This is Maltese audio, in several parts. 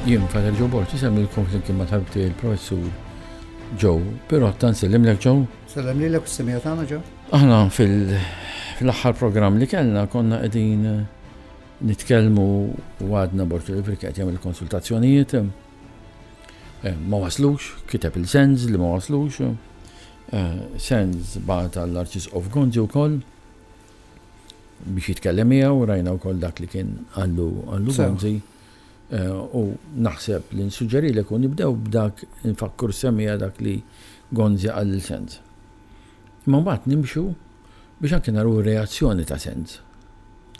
Jien Father Joe Borg, isemmilkom flimkien ma' tabib tiegħi il-Professur Joe Pirotta, nsellimlek Joe. Sellem lilek u s-semija tagħna Joe. Aħna fil-aħħar programm li kellna konna qegħdin eh, nitkellmu u għadna Borg Oliver qed jagħmel konsultazzjonijiet. Eh, ma waslux, kiteb il-sens li ma waslux. Eh, sens bagħat għall-Arċisqof Gonzi wkoll biex jitkellem miegħu, rajna wkoll dak li kien għallu għallu Gonzi. U naħseb li nsuġġerilek u nibdew b'dak nfakkru semmiegħa dak li Gonzi qal lil Sands. Imma mbagħad nimxu biex anke naraw ir-reazzjoni ta' Sands.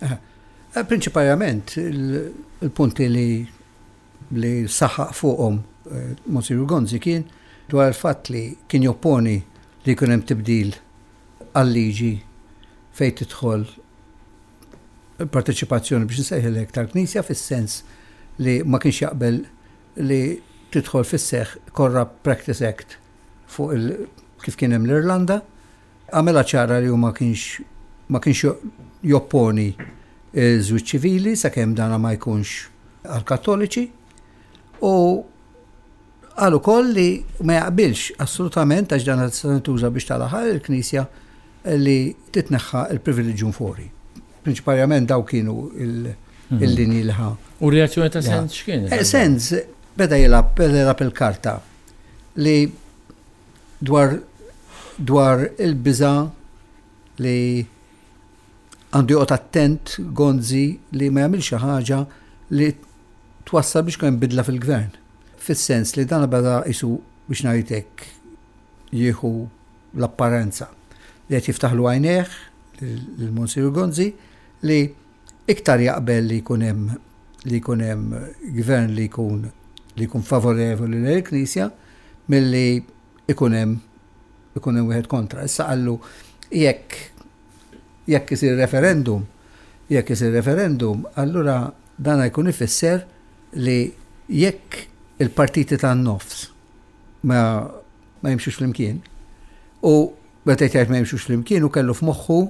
Eh, prinċipalment il-punti li li saħaq fuqhom eh, Monsignor Gonzi kien dwar il-fatt li kien jopponi li jkun hemm tibdil għal-liġi fejn tidħol parteċipazzjoni biex nsejħilek tal-Knisja fis-sens li ma kienx jaqbel li tidħol fis-seħħ Corrupt Practice Act fuq il kif kien hemm l-Irlanda. Għamela ċara li hu ma kienx ma kienx jopponi żwieġ ċivili sakemm dana ma jkunx għall-Kattoliċi u Qal ukoll li ma jaqbilx assolutament għax dan tista' tintuża biex tal-aħħar il-Knisja li titneħħa l-privilegium fori. Prinċiparjament daw kienu mhm. il-linji li ħa. U reazzjoni ta' Sens x'kien? Eh, Sens beda jilgħab beda jilgħab il-karta li dwar dwar il-biża li għandu joqgħod attent Gonzi li ma jagħmilx xi ħaġa li twassal biex kien bidla fil-gvern. Fis-sens li dan beda qisu biex ngħid hekk jieħu l-apparenza li qed jiftaħlu għajnejh lil Monsignor Gonzi li iktar jaqbel li jkun hemm li jkun hemm gvern li jkun li jkun favorevoli lejn il-Knisja milli ikun hemm ikun hemm wieħed kontra. Issa qallu jekk jekk isir referendum, jekk isir referendum, allura dan jkun ifisser li jekk il-partiti tan-nofs ma, ma jimxux flimkien, u meta jgħid ma jimxux flimkien u kellu f'moħħu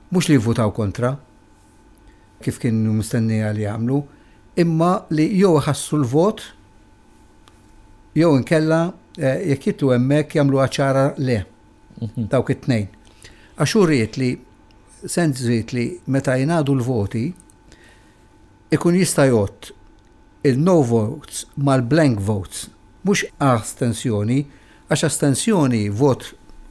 mhux li jivvutaw kontra, kif kienu mistennija li jagħmlu, imma li jew iħassru l-vot jew inkella eh, jekk jitlu hemmhekk jagħmluha ċara le. Mhm. Dawk it-tnejn. Għax hu ried li sens ried li meta jingħadu l-voti ikun jista' jgħodd il-no votes mal-blank votes, mhux astensjoni, għax astensjoni vot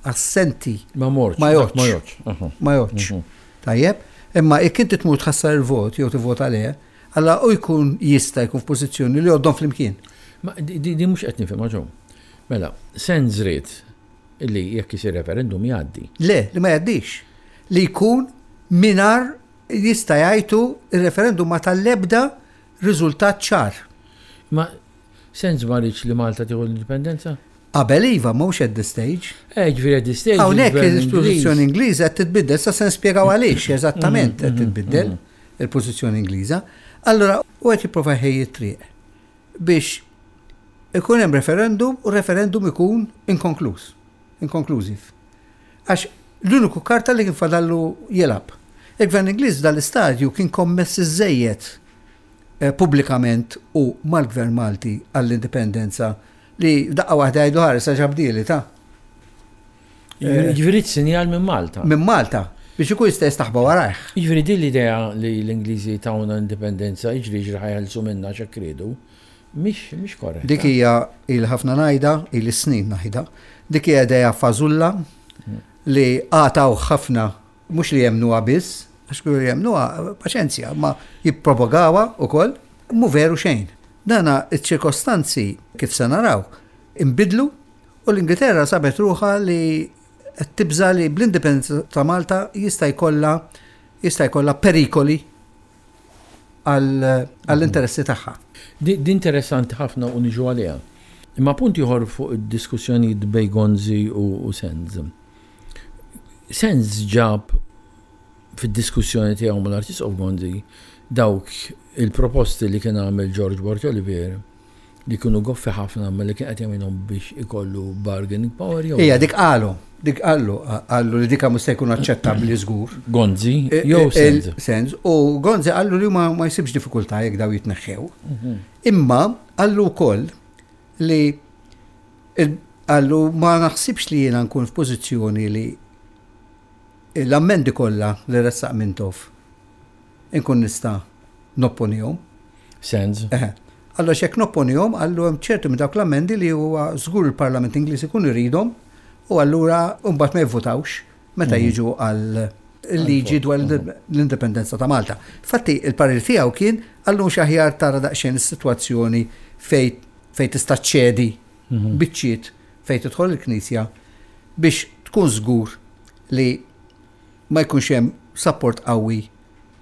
assenti ma morx, ma jgħoddx. Ma jgħoddx. Mhm. Tajjeb, imma jekk inti tmur tħassar il-vot jew tivvota le, alla u jkun jista' jkun f'pożizzjoni li jgħoddhom flimkien. Ma di mhux qed nifhimha ġew. Mela, sens ried Li jekk isir referendum jgħaddi. Le, li ma jgħaddix. Li jkun mingħajr jista' jgħidu il-referendum ma tal-ebda riżultat ċar. Ma sens ma rridx li Malta tieħu l-indipendenza? Qabel iva, mhux at this stage. Eh, ġifieri at this stage. Hawnhekk il-pożizzjoni Ingliża qed titbiddel, sa se nispjegaw għaliex eżattament qed titbiddel il-pożizzjoni Ingliża. Allura u qed jipprova jħejji t-triq biex ikun hemm referendum u referendum ikun inkonkluż, inkonklużiv. Għax l-uniku karta li kien fadallu jilgħab. Il-Gvern Ingliż dal-istadju kien kommess iżżejjed eh, pubblikament u mal-Gvern Malti għall-indipendenza li daqqa waħda jgħidu ħares għax abdili ta' eh, Ġifieri sinjal minn Malta. Minn Malta biex ikun jista' jistaħba warajh. Jiġifieri din l-idea li l-Ingliżi tawna indipendenza jiġri jiġri ħajeħilsu minna x'hekk riedu, mhix mhix korretta. Dik hija ili ħafna ngħidha, ili snin ngħidha. Dik hija idea fażulla li għataw ħafna mhux li jemmnuha biss, għax kienu jemmnuha paċenzja, ma jippropagawha wkoll, mhu veru xejn. Dana iċ-ċirkostanzi kif se naraw inbidlu u l-Ingilterra sabet ruħha li qed tibża' li bl-indipendenza ta' Malta jista' jkollha jista' jkollha perikoli għall-interessi tagħha. Din interessanti ħafna u niġu għaliha. Imma punt ieħor fuq id-diskussjonijiet bejn Gonzi u Sands. Sands ġab fid-diskussjoni tiegħu mal-Arċisqof Gonzi dawk il-proposti li kien għamel George Borg Olivier li kienu goffi ħafna imma li kien qed jagħmilhom biex ikollu bargaining power jew. Ija, dik qalu, dik qallu, qallu li dika mhux se jkun aċċettabbli żgur. Gonzi e, jew e, Senz. Senz, u Gonzi qallu li ma, ma jsibx diffikultà jekk daw jitneħħew. Mhm. Imma Qallu wkoll li qallu ma naħsibx li jiena nkun f'pożizzjoni li l-ammendi kollha li ressaq Mintoff inkun nista' nopponihom. Sens. Eħe. Qallu għax jekk nopponihom, qallu hemm ċerti minn dawk l-ammendi li huwa żgur il-Parlament Ingliż ikun iridhom u allura mbagħad ma jivvutawx meta jiġu għal liġi dwar l-indipendenza ta' Malta. Infatti il-parir tiegħu kien qallu mhux aħjar tara daqsxejn is-sitwazzjoni fejn fejn tista' ċċedi biċċiet fejn tidħol il-Knisja biex tkun żgur li ma jkunx hemm sapport qawwi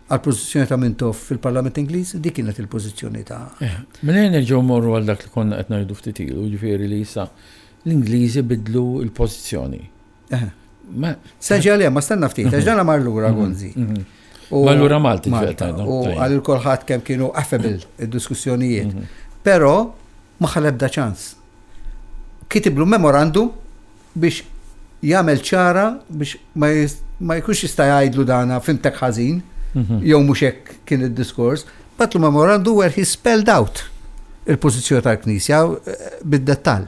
għall-pożizzjoni ta' Mintoff fil-Parlament Ingliż, dik kienet il-pożizzjoni ta' eh, Mela nerġgħu mmorru għal dak li konna qed ngħidu ftit ilu, ġifieri li issa l-Ingliżi bidlu l-pożizzjoni. Eh. Seġi għalija, ma stenna ftit, għax dana mar lura mhm, Gonzi. Mhm. Ma lura Malti U għal kulħadd kemm kienu affable id-diskussjonijiet. Mhm. Però ma ħalebda ċans. Kitiblu memorandum biex jagħmel ċara biex ma jkunx jista' jgħidlu dana fimtek ħażin mhm. jew mhux hekk kien id-diskors, batlu memorandum where he spelled out il-pożizzjoni tal-Knisja eh, bid-dettall.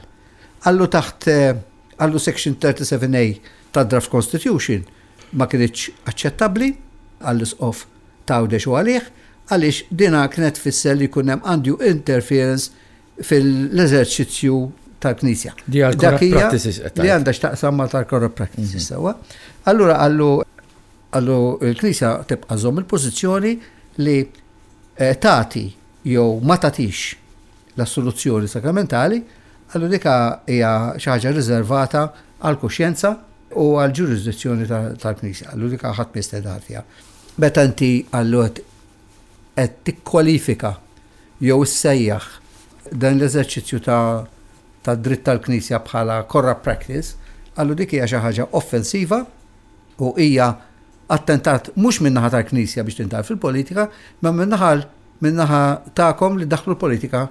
Għallu taħt eh, għallu section 37A tad-draft constitution ma kienx aċċettabbli għall-isqof t'Għawdex u għalih għaliex dina kienet tfisser li jkun hemm undue interference fil-eżerċizzju tal-Knisja. Di għal corrupt practices qed Li għandha x'taqsam ma' tal-corrupt practices mhm. sewwa. Allura għallu għallu l-Knisja tibqa' żomm il-pożizzjoni li eh, tagħti jew ma tagħtix l-assoluzzjoni sakramentali, għallu dika hija xi ħaġa riservata għal kuxjenza u għal ġurisdizzjoni tal-Knisja. Għallu dika ħadd ma fiha. Meta inti għallu qed tikkwalifika jew issejjaħ dan l-eżerċizzju ta' tad-dritt tal-Knisja bħala corrupt practice, qallu dik hija xi ħaġa offensiva u hija attentat mhux min-naħa tal-Knisja biex tindaħal fil-politika, imma min-naħa min-naħa tagħkom li ddaħħlu l-politika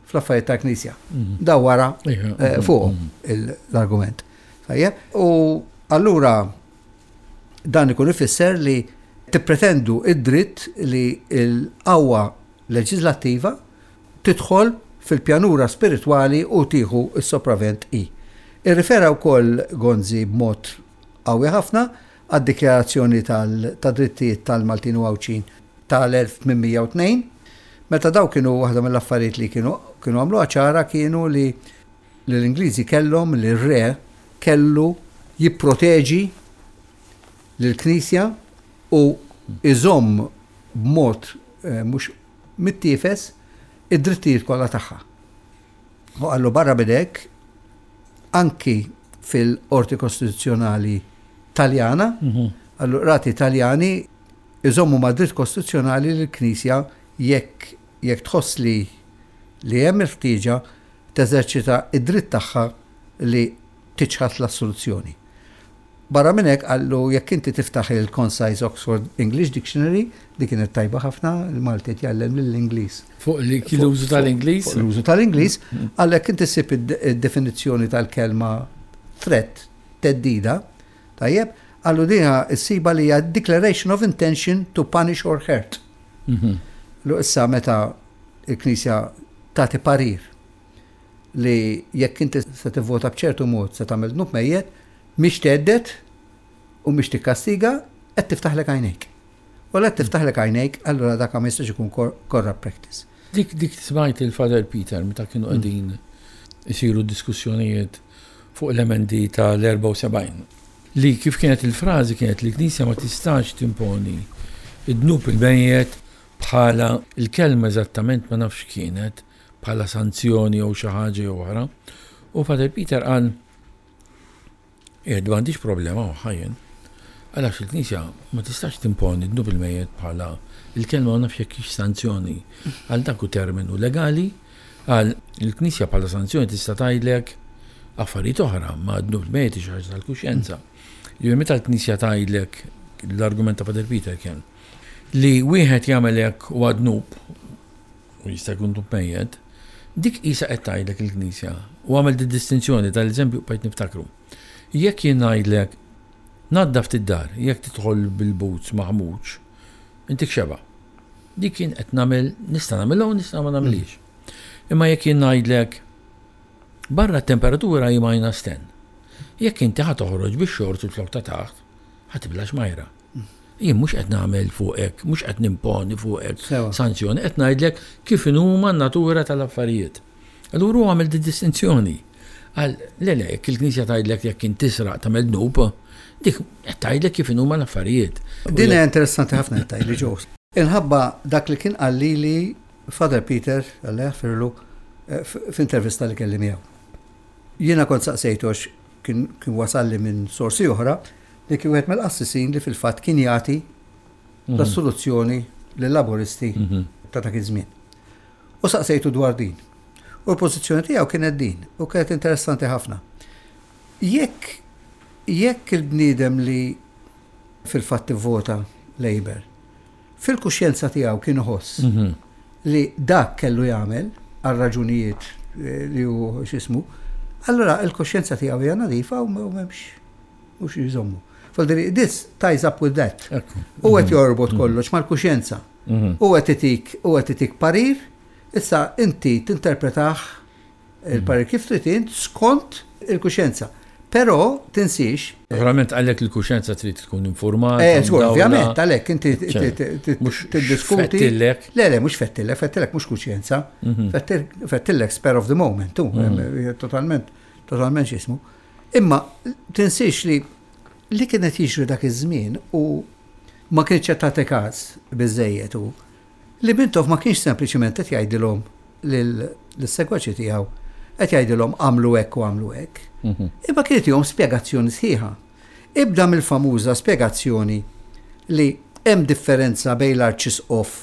fl-affarijiet tal-Knisja. Mhm. Daw wara eh, fuqhom mhm. l-argument. Tajjeb? U allura Dan ikun ifisser li tippretendu id-dritt li l-qawwa leġiżlattiva tidħol fil-pjanura spiritwali u tieħu s-sopravvent hi. Irrifera wkoll Gonzi b'mod qawwi ħafna għad-Dikjarazzjoni tad-Drittijiet tal-Maltin u Għawdxin tal-1802, meta dawn kienu waħda mill-affarijiet li kienu kienu għamluha ċara kienu li li l-Ingliżi kellhom li r-re kellu jipproteġi lill-Knisja u jżomm b'mod mhux mittiefes id-drittijiet kollha tagħha. U qallu barra minn hekk anki fil-Qorti Kostituzzjonali Taljana, qallu qrati Taljani iżommu mad-dritt kostituzzjonali li l-Knisja jekk jekk tħoss li li hemm il-ħtieġa teżerċita d-dritt tagħha li tiċħad l-assoluzzjoni. Barra minn hekk qallu jekk inti tiftaħ il-Concise Oxford English Dictionary, li kienet tajba ħafna, il-Malti qed jgħallem lill-Ingliż. Fuq l-użu tal-Ingliż? Fuq l-użu tal-Ingliż, qal jekk inti ssib id-definizzjoni tal-kelma threat, theddida, tajjeb, qallu din issibha li hija declaration of intention to punish or hurt. Mhm. Lu issa meta il-Knisja tagħti parir li jekk inti se tivvota b'ċertu mod se tagħmel dnub mejjet, mhix thedded u mhix tikkastiga, qed tiftaħlek għajnejk. U la tiftaħlek għajnejk, allura dak ma jistax ikun corrupt practice. Dik dik smajt il-Father Peter meta kienu mm. qegħdin isiru diskussjonijiet fuq l-emendi tal-74. Li kif kienet il-frażi kienet li l-Knisja ma tistax timponi id-dnub il-mejjet Bħala, il-kelma eżattament ma nafx x'kienet, bħala sanzjoni jew xi ħaġa jew oħra. U Father Peter qal, Qiegħed m'għandix problema magħha jien. Qal għax il-Knisja ma tistax timponi dnub il-mejjet bħala, il-kelma ma nafx jekk hix sanzjoni. Qal dak hu terminu legali, qal il-Knisja bħala sanzjoni tista' tgħidlek affarijiet oħra, ma dnub il-mejjet hi xi ħaġa tal-kuxjenza. Jiġifieri meta l-Knisja tgħidlek, l-argument ta' Father Peter kien, Li wieħed jagħmel hekk huwa dnub, u jista' jkun dnub mejjet, dik qisha qed tgħidlek il-Knisja. U għamel di distinzjoni tal-eżempju bqajt niftakru. Jekk jien ngħidlek naddaf id-dar, jekk tidħol bil-boots maħmuġ, intik xeba. Dik jien qed nagħmel, nista' nagħmilha u nista' ma nagħmilhiex. Imma jekk jien ngħidlek barra t-temperatura hi minus 10. Jekk inti ħa toħroġ bix-xorts u l-flok ta' taħt, ħa tibla xmajra. Jien mhux qed nagħmel fuqek, mhux qed nimponi fuqek sanzjoni, qed ngħidlek kif inhuma n-natura tal-affarijiet. Allura hu għamel di distinzjoni. Qal, le le, jekk il-Knisja tgħidlek jekk int tisraq tagħmel dnub, dik qed tgħidlek kif inhuma l-affarijiet. Din hija interessanti ħafna qed tgħidli Joe. Inħabba dak li kien qal lili Father Peter, Alla jaħfirlu, eh, f'intervista li kelli miegħu. Jiena kont saqsejtu għax kien wasalli minn sorsi oħra li kien wieħed mill-qassisin li fil-fatt kien jagħti mhm. l-assoluzzjoni lill-Laburisti mhm. ta' dak iż-żmien. U saqsejtu dwar din. U l-pożizzjoni tiegħu kienet din u kienet interessanti ħafna. Jekk jekk il-bniedem li fil-fatt ivvota Labour fil-kuxjenza tiegħu kien iħoss mhm. li dak kellu jagħmel għal raġunijiet eh, li hu x'ismu, allura il-kuxjenza tiegħu hija nadifa u m'hemmx mhux jżommu. Faldiri, this ties up with that. U qed mhm. jorbot mhm. kollox mal-kuxjenza. U qed itik u qed itik parir, issa inti tinterpretah il-parir kif trid int skont il-kuxjenza. Però tinsiex. Naturalment għalhekk il-kuxjenza trid tkun informata. Eh, żgur, ovvjament, għalhekk inti tiddiskuti. Le, le, mhux fettillek, fettillek mhux kuxjenza. Mhm. Fettillek spare of the moment, tu, mhm. totalment, totalment x'ismu. Imma tinsiex li li kienet jiġri dak iż-żmien u ma kienx qed tagħti każ biżejjed u li Mintoff ma kienx sempliċiment qed jgħidilhom lis-segwaċi tiegħu qed jgħidilhom għamlu hekk u għamlu hekk. Mhm. Imma kien itihom spjegazzjoni sħiħa. Ibda mill-famuża spjegazzjoni li hemm differenza bejn l-arċisqof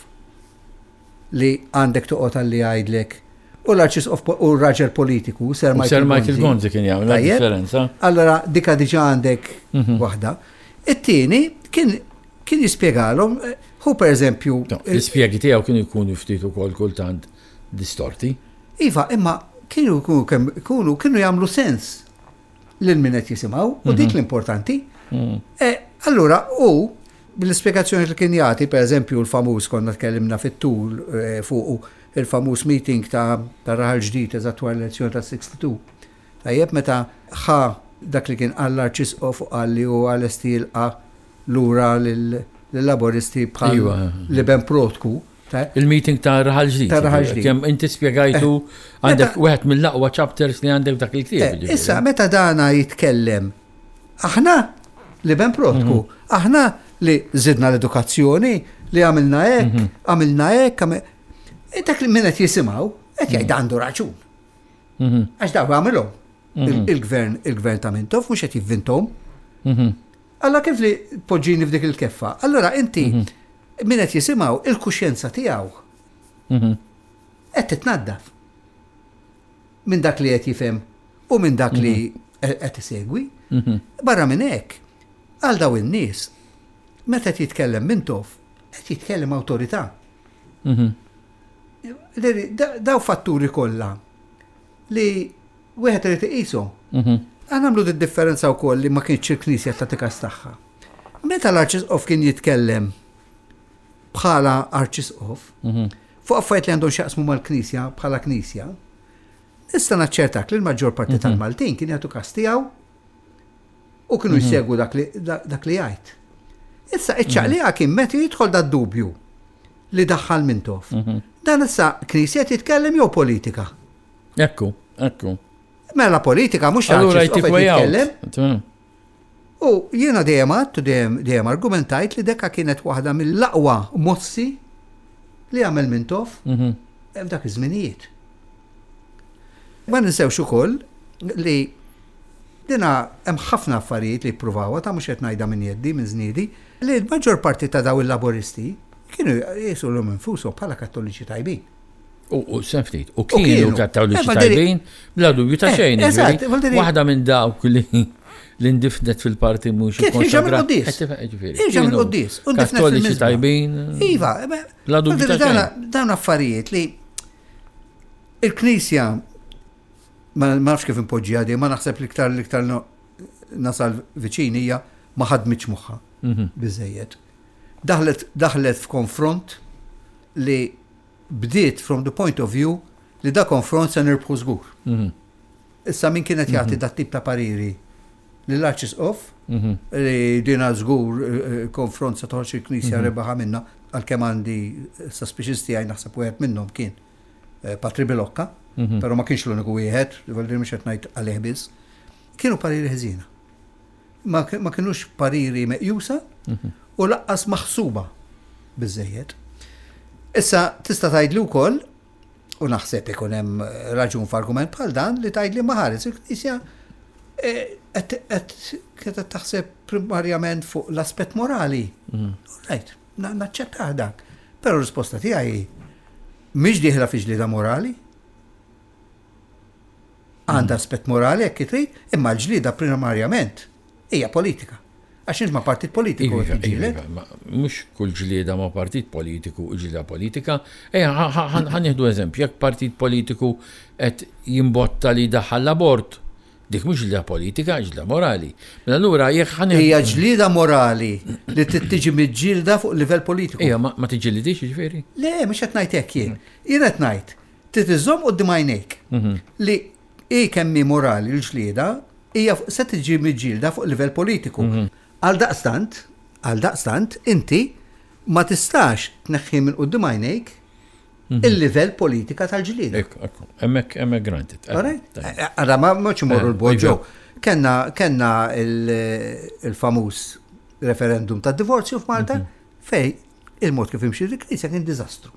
li għandek toqgħod għalli jgħidlek u l-arċisqof u r-raġel politiku Sir Michael, Sir Michael Gonzi kien jagħmel differenza. Allora dika diġà għandek mhm. waħda. It-tieni kien kien jispjegalhom eh, hu pereżempju. L-ispjegi tiegħu kienu jkunu ftit ukoll kultant distorti. Iva, imma kienu jkunu kienu jagħmlu sens lil min qed jisimgħu u dik mhm. l-importanti. Mhm. Eh, allura hu bil-ispjegazzjoni li kien jagħti, pereżempju l-famuż konna tkellimna fit-tul eh, fuq il-famuż meeting ta' Raħal Ġdid eżatt wara l-elezzjoni ta' 62. Tajjeb meta ħa dak li kien qal l-Arċisqof u qal li hu lesti jilqa' lura lill-Laburisti bħal iva. l-iben protku. Il-meeting ta' Raħal Ġdid. Ta' Raħal Ġdid. Kemm inti spjegajtu eh. għandek wieħed mill-aqwa chapters li għandek dak il-ktieb. Eh, issa meta dana jitkellem aħna li ben protku, mhm. aħna li zidna l-edukazzjoni, li għamilna hekk, mhm. għamilna hekk, eh, dak li min qed jisimgħu qed jgħid mhm. għandu raġun. Għax daw għamilhom. Il-gvern, il-gvern ta' Mintoff mhux qed jivvintom. Alla kif li poġġini f'dik il-keffa. Allora inti mhm. min qed jisimgħu il-kuxjenza tiegħu mhm. qed titnaddaf minn dak li qed jifhem u minn dak li mhm. qed isegwi. Barra minn hekk, għal daw in-nies, meta qed jitkellem Mintoff, qed jitkellem awtorità. Daw fatturi kollha li wieħed irid iqishom. Mhm. Aħna nagħmlu d-differenza wkoll li ma kienx il-Knisja tagħti każ tagħha. Meta l-Arċisqof kien jitkellem bħala Arċisqof, mhm. fuq affarijiet li għandhom x'jaqsmu mal-Knisja bħala Knisja, nista' naċċertak li l-maġġor parti mhm. tal-Maltin kien jagħtu każ tiegħu u kienu jsegwu dak li jgħid. Issa iċ-ċaqliqa kien meta jidħol da dubju li daħħal Mintoff. Dan issa Knisja jitkellem jew politika? Ekku, ekku. Mela politika mhux Allura jtik way out. U jiena dejjem għadt u dejjem argumentajt li dekka kienet waħda mill-aqwa mossi li għamel Mintoff mhm. f'dak iż-żminijiet. Ma ninsewx ukoll li dina hemm ħafna affarijiet li jippruvawha ta' mhux qed ngħidha minn jeddi minn żniedi li l-maġġor parti ta' daw il-laboristi kienu jisu l infushom bħala kattoliċi tajbin. U ftit, u kienu kattoliċi eh, tajbin, bla dubju ta' eh, xejn. Eżatt, waħda minn dawk li l-indifnet fil-parti mhux Kif ħiġa mill-qoddis. Ħiġa mill-qoddis. Kattoliċi tajbin. Iva, bla dubju ta' xejn. Dawn affarijiet li il-Knisja ma nafx kif impoġġiha di, ma naħseb l-iktar l-iktar nasal viċin hija ma ħadmitx moħħa mhm. biżejjed. Daħlet daħlet f'konfront li bdiet from the point of view li da konfront se nirbħu żgur. Issa min kien qed jagħti dat tip ta' pariri lill-Arċisqof li dina żgur konfront se toħroġ il-Knisja rebaħa minna, għalkemm għandi suspicions tiegħi naħseb wieħed minnhom kien Patri Bilocca, però ma kienx l-uniku wieħed, vuol mhux qed ngħid għalih biss. Kienu pariri ħżiena. Ma kinux pariri meqjusa u laqqas maħsuba biżejjed. Issa tista' tgħidli wkoll u naħseb ikun hemm raġun f'argument bħal dan li tgħidli ma ħares il-Knisja qed qed taħseb primarjament fuq l-aspett morali. Right, naċċettah dak. Però r-risposta tiegħi mhix dieħla fi ġlieda morali. Għandha aspett morali jekk trid, imma l-ġlieda primarjament hija politika. Għax int ma' partit politiku qed tiġġieled. Iva, mhux kull ġlieda ma' partit politiku ġlieda politika. Ejja, ħa nieħdu eżempju, jekk partit politiku qed jimbotta li jdaħħal l-abort, dik mhux ġlieda politika, ġlieda morali. Mela allura jekk ħa Hija ġlieda morali li trid tiġi miġġielda fuq livell politiku. Ejja, ma tiġġilidix jiġifieri? Le, mhux qed ngħid hekk jien. Jien qed ngħid trid iżżomm quddiem għajnejk li hi kemm hi morali l-ġlieda hija se tiġi miġġielda fuq livell politiku. Għaldaqstant, għaldaqstant, inti ma tistax tneħħi minn quddiem għajnejk il-livell politika tal-ġlieda. Ekku, ekku, hemmhekk hemmhekk granted. Għara ma mhux imorru l-bogħod ġew. Kenna kenna il-famuż referendum tad-divorzju f'Malta fej il-mod kif imxi il-Knisja kien diżastru.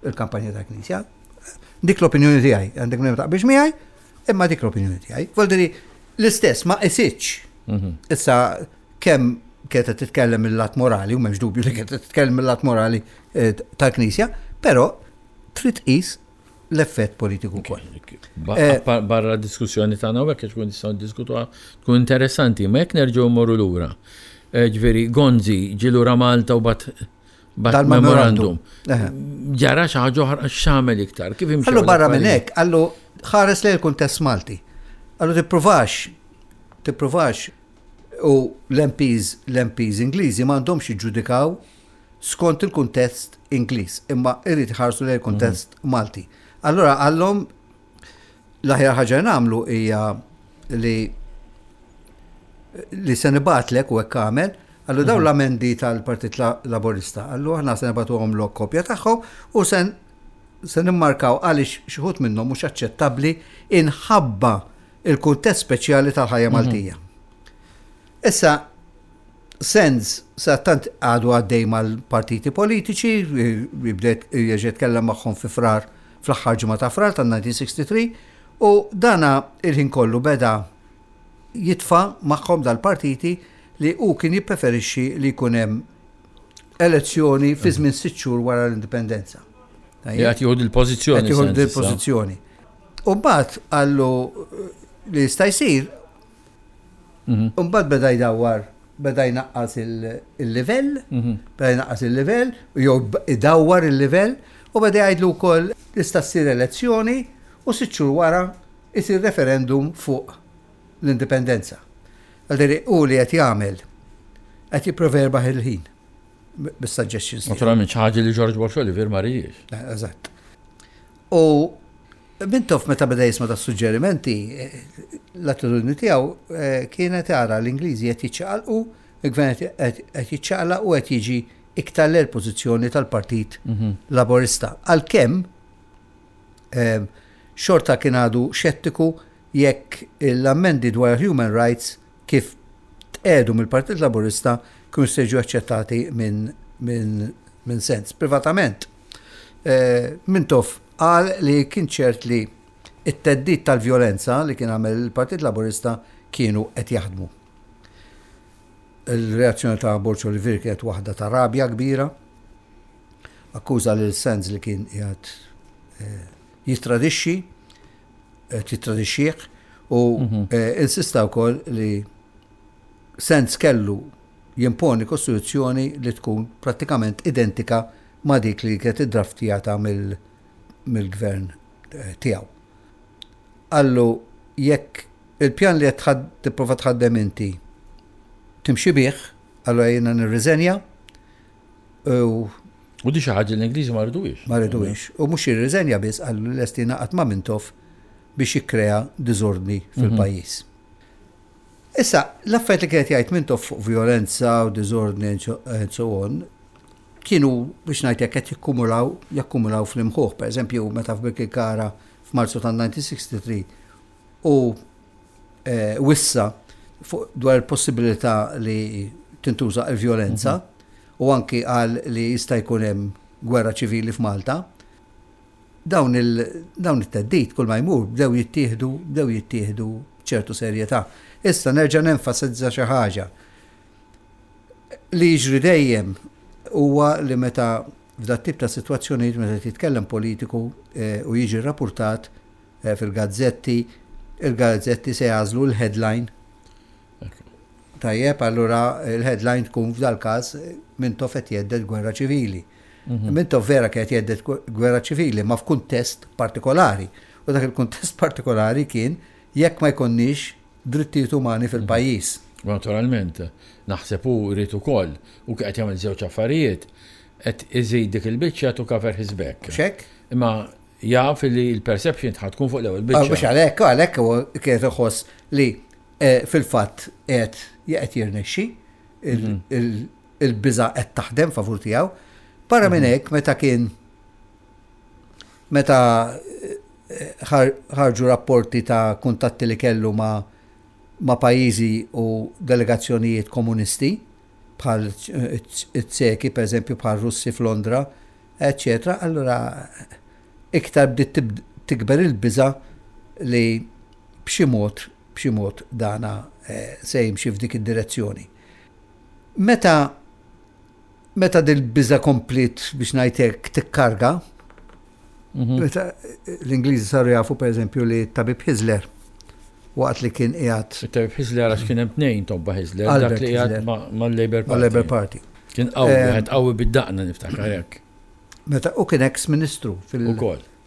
Il-kampanja tal-Knisja. Dik l-opinjoni tiegħi, għandek minn taqbilx miegħi, imma dik l-opinjoni tiegħi. Voldiri, l-istess ma qisitx. Issa kemm kienet qed titkellem mill-lat morali, u m'hemmx dubju li kienet titkellem mill-lat morali eh, tal-Knisja, però trid tqis l-effett politiku wkoll. Eh, barra diskussjoni tagħna u hekk tkun nistgħu niddiskutuha tkun interessanti, ma jekk nerġgħu mmorru lura. Eh, ġifieri Gonzi ġie lura Malta u bat bat memorandum. Ġara xi ħaġa oħra x'għamel iktar, kif imxi. Allu barra minn hekk, allu ħares lejn il-kuntest Malti. Allu tippruvax, tippruvax u l-MPs, l-MPs Ingliżi m'għandhomx jiġġudikaw skont il-kuntest Ingliż, imma irid iħarsu lejn il-kuntest Malti. Allura qallhom l-aħjar ħaġa li nagħmlu hija li li se nibgħatlek u hekk għamel, għallu dawn l-amendi tal-Partit Laburista, għallu aħna se nibgħatuhom lok kopja tagħhom u se se nimmarkaw għaliex xi wħud minnhom mhux aċċettabbli inħabba il-kuntest speċjali tal-ħajja Maltija. Issa, Sands sattant għadu għaddej mal-partiti politiċi, jibdet jerġa' jitkellem magħhom fi Frar, fl-aħħar ġimgħa ta' Frar tan-1963, u dana il-ħin kollu beda jitfa' magħhom dal-partiti li hu kien jippreferixxi li jkun hemm elezzjoni fi żmien sitt xhur wara l-indipendenza. Qed jieħu dil-pożizzjoni. Qed jieħu dil-pożizzjoni. U mbagħad qallu li jista' jsir Mhm. Mbagħad beda jdawwar, beda jnaqqas il-livell, mhm. beda jnaqqas il-livell, jew idawwar il-livell, u beda jgħidlu wkoll tista' ssir elezzjoni u sitt xhur wara isir referendum fuq l-indipendenza. Għalderi u li qed jagħmel qed jipprova jerbaħ il-ħin bis-suggestions. Naturalment xi ħaġa li George Borg Olivier ma ridiex. Eh, eżatt. U Mintoff meta beda jisma' das-suġġerimenti, l-attitudni tiegħu kienet ara l-Ingliżi qed jiċċaqalqu, il-gvern qed jiċċaqlaq u qed jiġi iktar lejn il-pożizzjoni tal-Partit Laburista. Għalkemm xorta kien għadu xettiku jekk l-ammendi dwar human rights kif tqiegħdu mill-Partit Laburista kienu se jiġu aċċettati minn Sands. Privatament, Mintoff Qal li kien ċert li t-theddid tal-vjolenza li kien għamel il-Partit Laburista kienu qed jaħdmu. Il-reazzjoni ta' Borg Olivier kienet waħda ta' rabja kbira. Akkuża lil Sands li kien qiegħed eh, jittradixxi, qed jittradixxih u mhm. eh, insista wkoll li Sands kellu jimponi kostituzzjoni li tkun prattikament identika ma' dik li kienet iddraftjata mill-gvern tiegħu. Qallu jekk il-pjan li qed tipprova tħaddem inti timxi bih, allura jiena nirriżenja u U di xi ħaġa l-Ingliżi ma rriduhiex. Ma rriduhiex. U mhux jirriżenja biss qallu lest jingħaqad ma' Mintoff biex jikkrea diżordni fil-pajjiż. Issa, l-affarijiet li kien qed jgħid Mintoff fuq vjolenza u diżordni and so on, kienu biex ngħid hekk qed jikkumulaw jakkumulaw fl-imħuħ. Per eżempju, meta f'Birkirkara f'Marzu tan-1963 u eh, wissa fuq dwar il-possibilità li tintuża il-vjolenza u anki qal li jista' jkun hemm gwerra ċivili f'Malta, dawn il dawn it-theddid kull ma jmur bdew jittieħdu bdew jittieħdu b'ċertu serjetà. Issa nerġa' nenfasizza xi ħaġa. Li jiġri dejjem huwa li meta f'dat tip ta' sitwazzjonijiet meta titkellem politiku eh, u jiġi rrapurtat eh, fil-gazzetti, il-gazzetti se jagħżlu l-headline. Tajjeb, allura il-headline tkun f'dal-każ Mintoff qed jhedded gwerra ċivili. Mhm. Mintoff vera kien qed jhedded gwerra ċivili, ma f'kuntest partikolari. U dak il-kuntest partikolari kien jekk ma jkollniex drittijiet umani fil-pajjiż. Naturalment, naħseb hu jrid ukoll, u qed jagħmel żewġ affarijiet, qed iżid dik il-biċċa to cover his back. Xek? Imma jaf li l-perception tħad tkun fuq l-ewwel biċċa. Mhux għalhekk, għalhekk huwa kien iħoss li eh, fil-fatt qed qed jirnexxi mhm. il-biża qed taħdem favur tiegħu. Barra minn mhm. hekk meta kien meta eh, ħarġu rapporti ta' kuntatti li kellu ma' ma' pajjiżi u delegazzjonijiet komunisti bħal it-Tseki, per eżempju, bħal Russi f'Londra, eċċetera, allura iktar bdiet tikber il-biża' li b'xi mod, b'xi mod dana eh, se jimxi f'dik id-direzzjoni. Meta meta dil-biża' kompliet biex ngħid hekk tikkarga, mhm. meta l-Ingliżi saru jafu pereżempju li tabib Hisler waqt li kien qiegħed. It-tabib Hisler għax kien hemm tnejn tobba Hisler, dak li qiegħed mal-Labour Party. Mal-Labour Party. Kien qawwi, eh, wieħed qawwi bid-daqna niftakar hekk. Meta u kien ex ministru fil-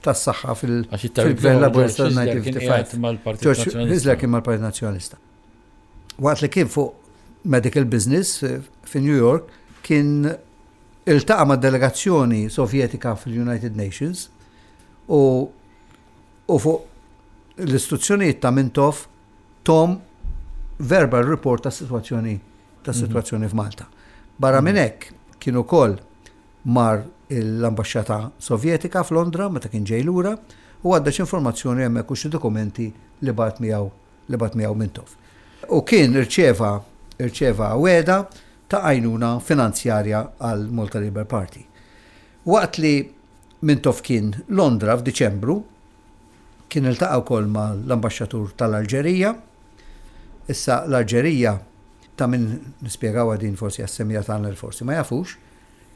tas-saħħa fil-Gvern Laburista 1955. George Hisler kien mal-Partit Nazzjonalista. Waqt li kien fuq medical business eh, fi New York, kien iltaqa' ma' delegazzjoni Sovjetika fil-United Nations u u fuq l-istruzzjonijiet ta' Mintoff tom verbal report ta' situazzjoni ta' mhm. situazzjoni f'Malta. Barra minn mhm. hekk kien ukoll mar l-ambaxxata Sovjetika f'Londra meta kien ġej lura u għadda informazzjoni hemmhekk u xi dokumenti li bagħat miegħu li bagħat miegħu Mintoff. U kien irċeva irċeva wegħda ta' għajnuna finanzjarja għal Malta Labour Party. Waqt li Mintoff kien Londra f'Diċembru, kien iltaqa' wkoll mal-ambaxxatur tal-Alġerija. Issa l-Alġerija, ta' min nispjegawha din forsi għas-semmiegħa tagħna li forsi ma jafux,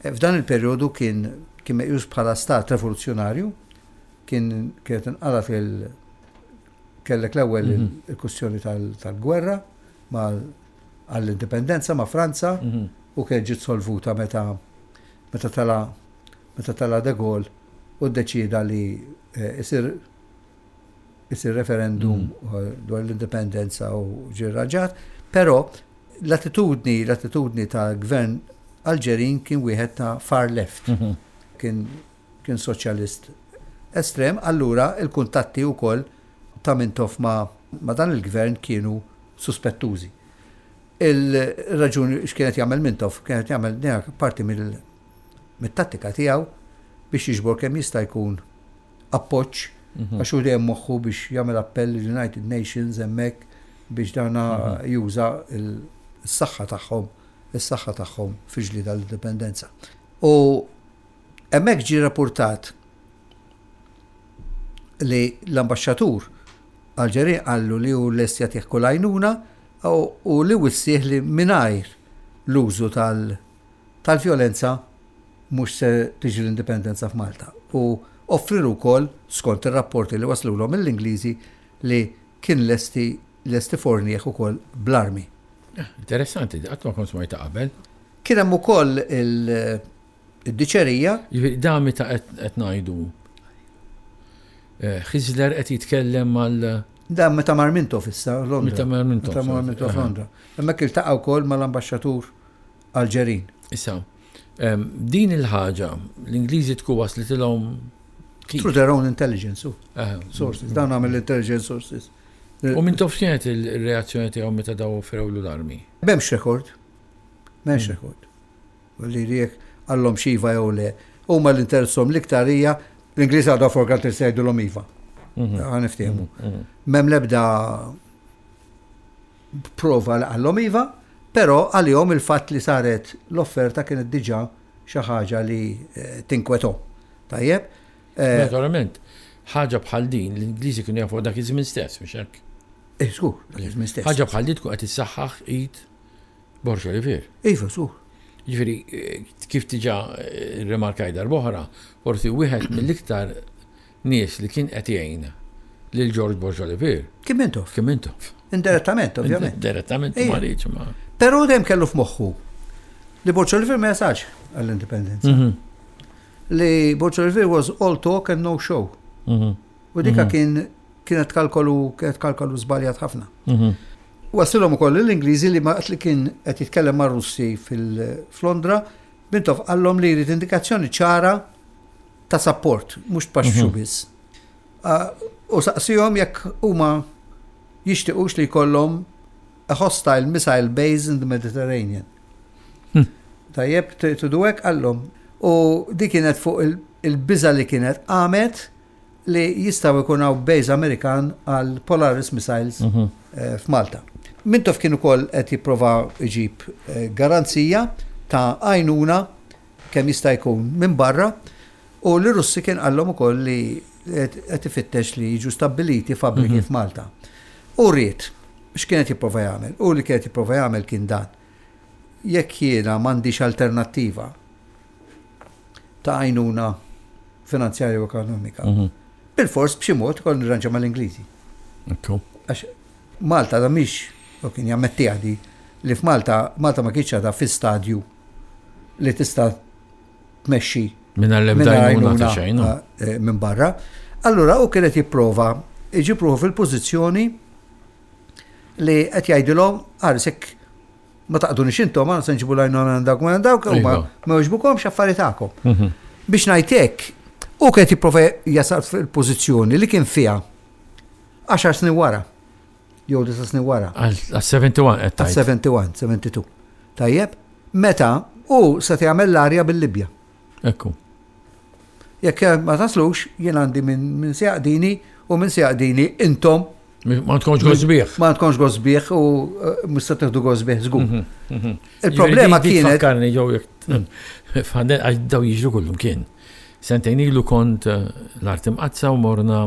f'dan il-perjodu kien kien meqjus bħala stat revoluzzjonarju, kien kienet inqalgħet il kellek l-ewwel mhm. il-kwistjoni tal-gwerra għall-indipendenza ma' Franza mhm. u kienet ġiet solvuta meta meta tala meta tala De Gaulle u ddeċieda li eh, isir isir referendum mm. eh, dwar l-indipendenza u ġie rranġat, però l-attitudni l-attitudni ta' gvern Alġerin kien wieħed ta' far left. Mhm. Kien kien soċjalist estrem, allura il-kuntatti wkoll ta' Mintoff ma', ma' dan il-gvern kienu suspettużi. Il-raġuni x'kienet jagħmel Mintoff, kienet jagħmel parti mill mit-tattika tiegħu biex jiġbor kemm jista' jkun appoġġ mhm. għax hu dejjem moħħu biex jagħmel appell lill-United Nations hemmhekk biex dana mhm. juża s-saħħa tagħhom is-saħħa tagħhom fi ġlieda l-indipendenza. U hemmhekk ġie rapportat li l-ambaxxatur Alġerin qallu li hu lest jagħtih kull għajnuna u li wissih li mingħajr l-użu tal- tal-vjolenza mhux se tiġi l-indipendenza f'Malta u offrilu wkoll, skont ir-rapporti li waslulhom mill-Ingliżi, li kien lesti lest ifornih ukoll bl-armi. Interessanti, qatt ma kont smajtha qabel. Kien hemm ukoll il-diċerija. Jiġifieri dan meta qed ngħidu Hisler qed jitkellem mal. Dan meta mar Mintoff issa Londra. Meta mar Mintoff. Meta mar Mintoff Londra. Hemmhekk iltaqa' wkoll mal-ambaxxatur Alġerin. Issa, Din il-ħaġa, l-Ingliżi tkun waslitilhom kif? Through their own intelligence sources. Dawn għamil intelligence sources. U Mintoff x'kienet il-reazzjoni tiegħu meta daw offrewlu l-armi? M'hemmx rekord. M'hemmx hmm. rekord. Li jekk għallhom xiva jew le. Huma l-interessom l-iktar hija l-Ingliż għadha for granted se jgħidulhom iva. Mhm. Ħa niftehmu. Mhm. M'hemm l-ebda prova li qallhom iva, però għalihom il-fatt li saret l-offerta kienet diġà xi ħaġa li eh, tinkwethom. Tajjeb? Eh, Naturalment, ħaġa bħal din l-Ingliżi kienu jafu dak iż-żmien stess, mhux hekk? Eh, żgur, dak iż-żmien stess. Ħaġa bħal din tkun qed issaħħaħ id Borg Olivier. Iva, żgur. Ġifieri, kif diġà rrimarkajt darb'oħra, forsi wieħed mill-iktar nies li kien qed jgħin lil George Borg Olivier. Kien Mintoff. Kien Mintoff. Indirettament, ovvjament. Indirettament ma rridx ma. Però dejjem kellu f'moħħu li Borg Olivier ma jasalx għall-indipendenza. Mhm. Li Borg Olivier was all talk and no show. Mhm. U dika mhm. kien kienet kalkolu kienet kalkolu żbaljat ħafna. Waslilhom ukoll lill-Ingliżi li waqt li kien qed jitkellem mar-Russi fil-Londra, Mintoff qallhom li jrid indikazzjoni ċara ta' sapport, mhux tpaxxu mhm. biss. U saqsihom jekk huma jixtiequx li jkollhom a hostile missile base in the Mediterranean. Hm. Tajjeb, tridu hekk qallhom. U dik kienet fuq il-biża li kienet qamet li jistgħu jkun hawn base Amerikan għal Polaris missiles mhm. eh, f'Malta. Mintoff kien ukoll qed jipprova jġib eh, garanzija ta' għajnuna kemm jista' jkun minn barra u li Russi kien qallhom ukoll li qed ifittex li jiġu stabbiliti fabbriki mhm. f'Malta. U ried x'kien qed jipprova jagħmel? U li kien qed jipprova jagħmel kien dan. Jekk jiena m'għandix alternattiva ta' għajnuna finanzjarja u ekonomika. Mhm. Bil-fors b'xi mod kol nirranġa mal-Ingliżi. Għax Malta da mhix, u kien jammetti għadi, li f'Malta Malta ma kienx għadha fi stadju li tista' tmexxi minn l-ebda għajnuna ta' xejn. Eh, minn barra. Allura u kienet jipprova iġib ruħu fil-pożizzjoni li qed jgħidilhom għarisek Ma taqdunix intom, għana se nġibu l-għajnuna minn dawk minn dawk, u ma iva. jogħġbukomx affari tagħkom. Mhm. Biex ngħid hekk, u kien jipprova jasal fil-pożizzjoni li kien fiha 10 snin wara. Jew 9 snin wara. Għal 71 qed tgħid. 71, 72. Tajjeb, meta u se jagħmel l-arja bil-Libja. Ekku. Jekk ma taslux, jien għandi minn se jaqdini u minn se jaqdini intom Ma tkunx gosbieħ. Ma tkunx gosbieħ u eh, mhux se tieħdu gosbieħ żgur. Mhm, mhm. Il-problema kienet. Fakkarni ġew għax daw jiġru kullum kien. Sentejn ilu kont eh, l-art imqazza u morna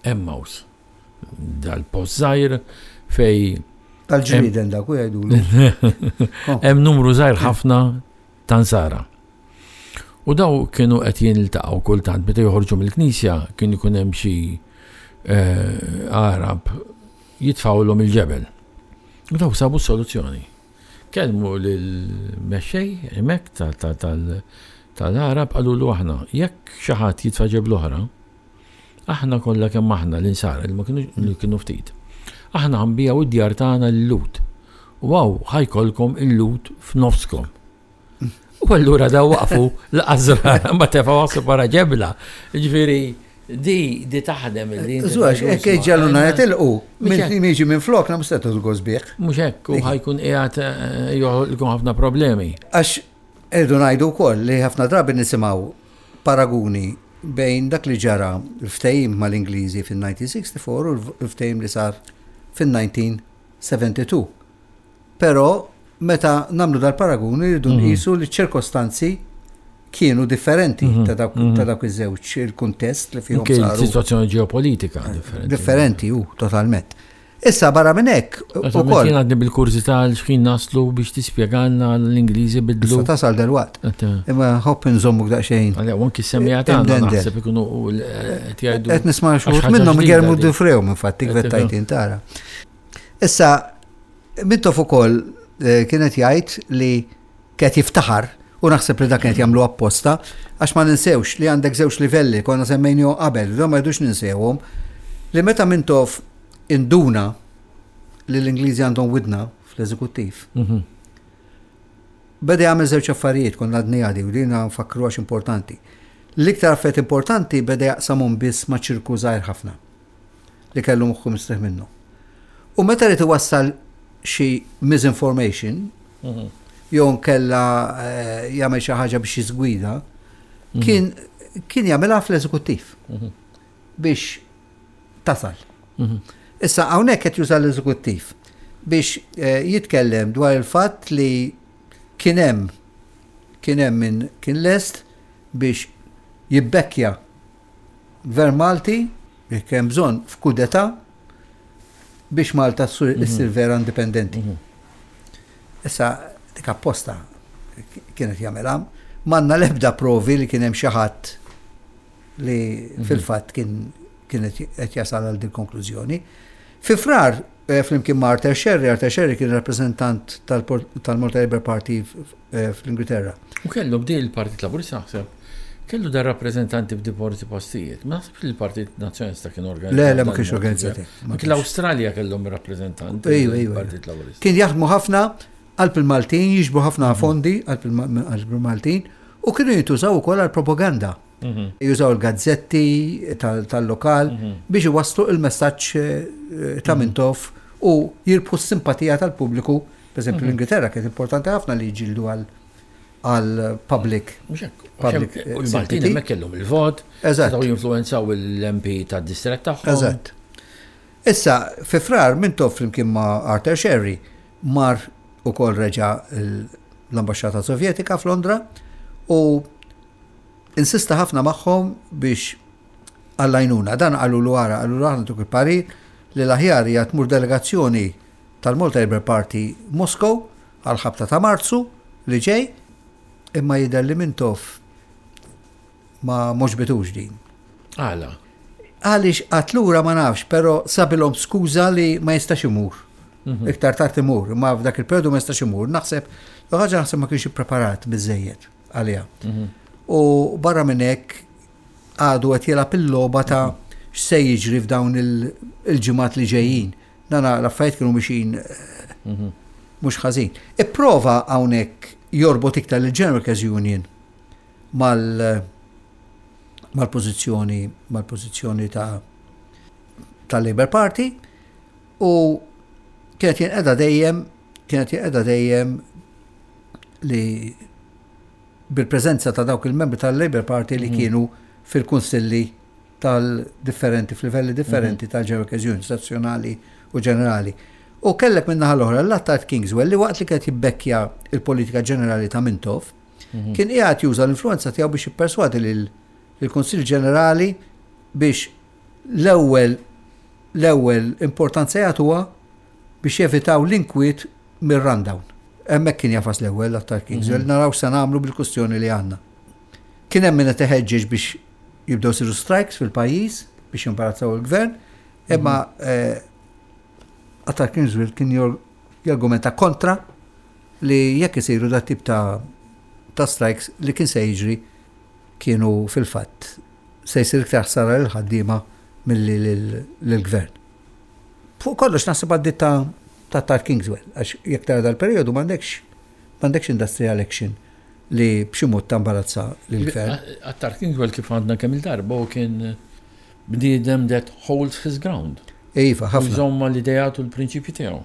Emmaus. Dal-post żgħir fej. Tal-ġrieden dak u jgħidu. Hemm numru żgħir ħafna ta' Nsara. U daw kienu qed jiltaqgħu kultant meta joħorġu mill-knisja kien ikun hemm xi eh, Arab jitfgħulhom il-ġebel. U daw sabu soluzzjoni. Kellmu lill-mexxej hemmhekk tal-Arab qalulu aħna jekk xi ħadd jitfa' ġebel oħra, aħna kollha kemm aħna l-insara li ma kienu kienu ftit. Aħna ħanbijaw id-djar tagħna lil-Lut. U hawn ħajkolkom il-Lut f'nofskom. U allura daw waqfu l-qazra ma tefgħu għassu para ġebla. Ġifieri di di taħdem il-din. Żwax, hekk ġaluna jitilqu, minn jiġi minn flok na mhux tieħdu sbieħ. Mhux hekk, u ħajkun qiegħed eh, joħolqu ħafna problemi. Għax irdu ngħidu wkoll li ħafna drabi nisimgħu paraguni bejn dak li ġara l-ftehim mal-Ingliżi fin-1964 u l-ftehim li sar fin-1972. Però meta nagħmlu dal-paragun irridu mhm. nqisu li ċ-ċirkostanzi kienu differenti mhm. ta' dawk mhm. ta' dawk iż-żewġ il-kuntest li fihom saru. Situazzjoni ġeopolitika differenti. Differenti hu totalment. Issa barra minn hekk ukoll. Jien għadni bil-kurżità għal x'ħin naslu biex tispjegalna l-Ingliżi bidlu. Issa tasal delwaqt. Imma ħobb inżommuk daqsxejn. Għalja, anki semmija tagħna naħseb ikunu qed jgħidu. Qed nisma' xi minnhom igermu difrewhom infatti kvettajtin tara. Issa, Mintoff ukoll eh, kien qed jgħid li kien jiftaħar u naħseb li dak kien jagħmlu apposta għax ma ninsewx li għandek żewġ livelli konna semmejnihom qabel, da ma jridux ninsewhom li meta Mintoff induna li l-Ingliżi għandhom widna fl-eżekuttiv. Mhm. Beda jagħmel żewġ affarijiet konna għadni għadi u din nfakru għax importanti. L-iktar affarijiet importanti beda jaqsamhom biss ma' ċirku żgħir ħafna li kellu moħħu mistrieħ minnu. U meta ried iwassal xi misinformation, jew nkella eh, jagħmel xi ħaġa biex jiżgwida, mhm. kien kien jagħmilha fl-eżekuttiv mhm. biex tasal. Mhm. Issa hawnhekk qed juża l-eżekuttiv biex eh, jitkellem dwar il-fatt li kien hemm kien hemm min kien lest biex jibbekkja gvern Malti jekk hemm bżonn f'kudeta biex Malta ssir vera indipendenti. Issa dik apposta kienet jagħmilha. M'għandna l-ebda provi li kien hemm xi ħadd li fil-fatt kien kien qed jasal għal din konklużjoni. Fi Frar, eh, flimkien ma' Arthur Scerri, Arthur Scerri kien rappreżentant tal-Malta Labour Party eh, fl-Ingilterra. U kellu bdi il-Partit Laburista naħseb. Kellu dar rappreżentanti f'diversi postijiet. Ma naħsibx li l-Partit Nazzjonalista kien organizzat. Le, le, ma kienx organizzat. Anki l-Awstralja kellhom rappreżentanti. Ejwa, ejwa. Partit Laburista. Kien jaħdmu ħafna qalb il-Maltin, jiġbru ħafna fondi qalb il-Maltin u kienu jintużaw ukoll għal propaganda. Mhm. Jużaw il-gazzetti tal-lokal mhm. biex iwasslu il-messaġġ eh, ta' mhm. Mintoff u jirbħu s-simpatija tal-pubbliku. Per eżempju, l-Ingilterra kienet importanti ħafna li jġildu għal għal public. Public. Eh, u l-Maltin hemmhekk kellhom il-vot, setgħu jinfluwenzaw l-MP tad-distrett tagħhom. Eżatt. Issa, fi frar Mintoff flimkien ma' Arthur Scerri mar ukoll reġa' l-Ambaxxata Sovjetika f'Londra u Insista ħafna magħhom biex għall-għajnuna. Dan qalulu ara, qalulu aħna ntuk il-parir li l-aħjar hija tmur delegazzjoni tal-Malta Labour Party Moscow għall-ħabta ta' Marzu li ġej, imma jidher li Mintoff ma m'għoġbitux din. Għala? Għaliex qagħad lura ma nafx, però sabilhom skuża li ma jistax imur. Mhm. Iktar tard imur, imma f'dak il-periodu ma jistax imur. Naħseb, l-ħaġa naħseb ma kienx ippreparat biżejjed. għaliha. Mhm. U barra minn hekk għadu qed jilgħab il-logħba ta' x'se jiġri f'dawn il-ġimgħat li ġejjin. Dana l-affarijiet kienu mixin eh, mhm. mhux ħażin. Ipprova hawnhekk jorbot iktar il-General Workers Union mal mal-pożizzjoni mal-pożizzjoni ta' tal-Labour Party u kienet jinqeda dejjem kienet jinqeda dejjem li bil-preżenza ta' dawk il-membri tal-Labour Party li mhm. kienu fil-kunsilli tal-differenti, f'livelli differenti mhm. tal-General Workers stazzjonali u ġenerali. U kellek minn naħa l-oħra l-Attard Kingswell li waqt li kienet jibbekkja il-politika ġenerali ta' Mintoff, mhm. kien qiegħed juża l-influenza tiegħu biex jipperswadi lill-Kunsill Ġenerali biex l-ewwel l-ewwel importanza jagħtuha biex jevitaw l-inkwiet mir-rundown. Hemmhekk kien jafas l-ewwel l-Attar Kingswell, mhm. naraw se nagħmlu bil-kustjoni li għandna. Kien hemm min qed iħeġġeġ biex jibdew siru strikes fil-pajjiż biex jimbarazzaw il-gvern, imma mhm. eh, Attar Kingswell kien jargumenta kontra li jekk isiru dat tip ta' ta' strikes li kien se jiġri kienu fil-fatt se jsir iktar ħsara lil ħaddiema milli lill-gvern. Fuq kollox naħseb għaddiet ta' ta' Tar Kingswell, għax jekk tara dal-perjodu m'għandekx m'għandekx industrial action li b'xi mod tambarazza lill-gvern. Attar Kingswell kif għandna kemm il-darba u kien bniedem that holds his ground. Iva, ħafna. Jżomm mal-ideat u l-prinċipji tiegħu.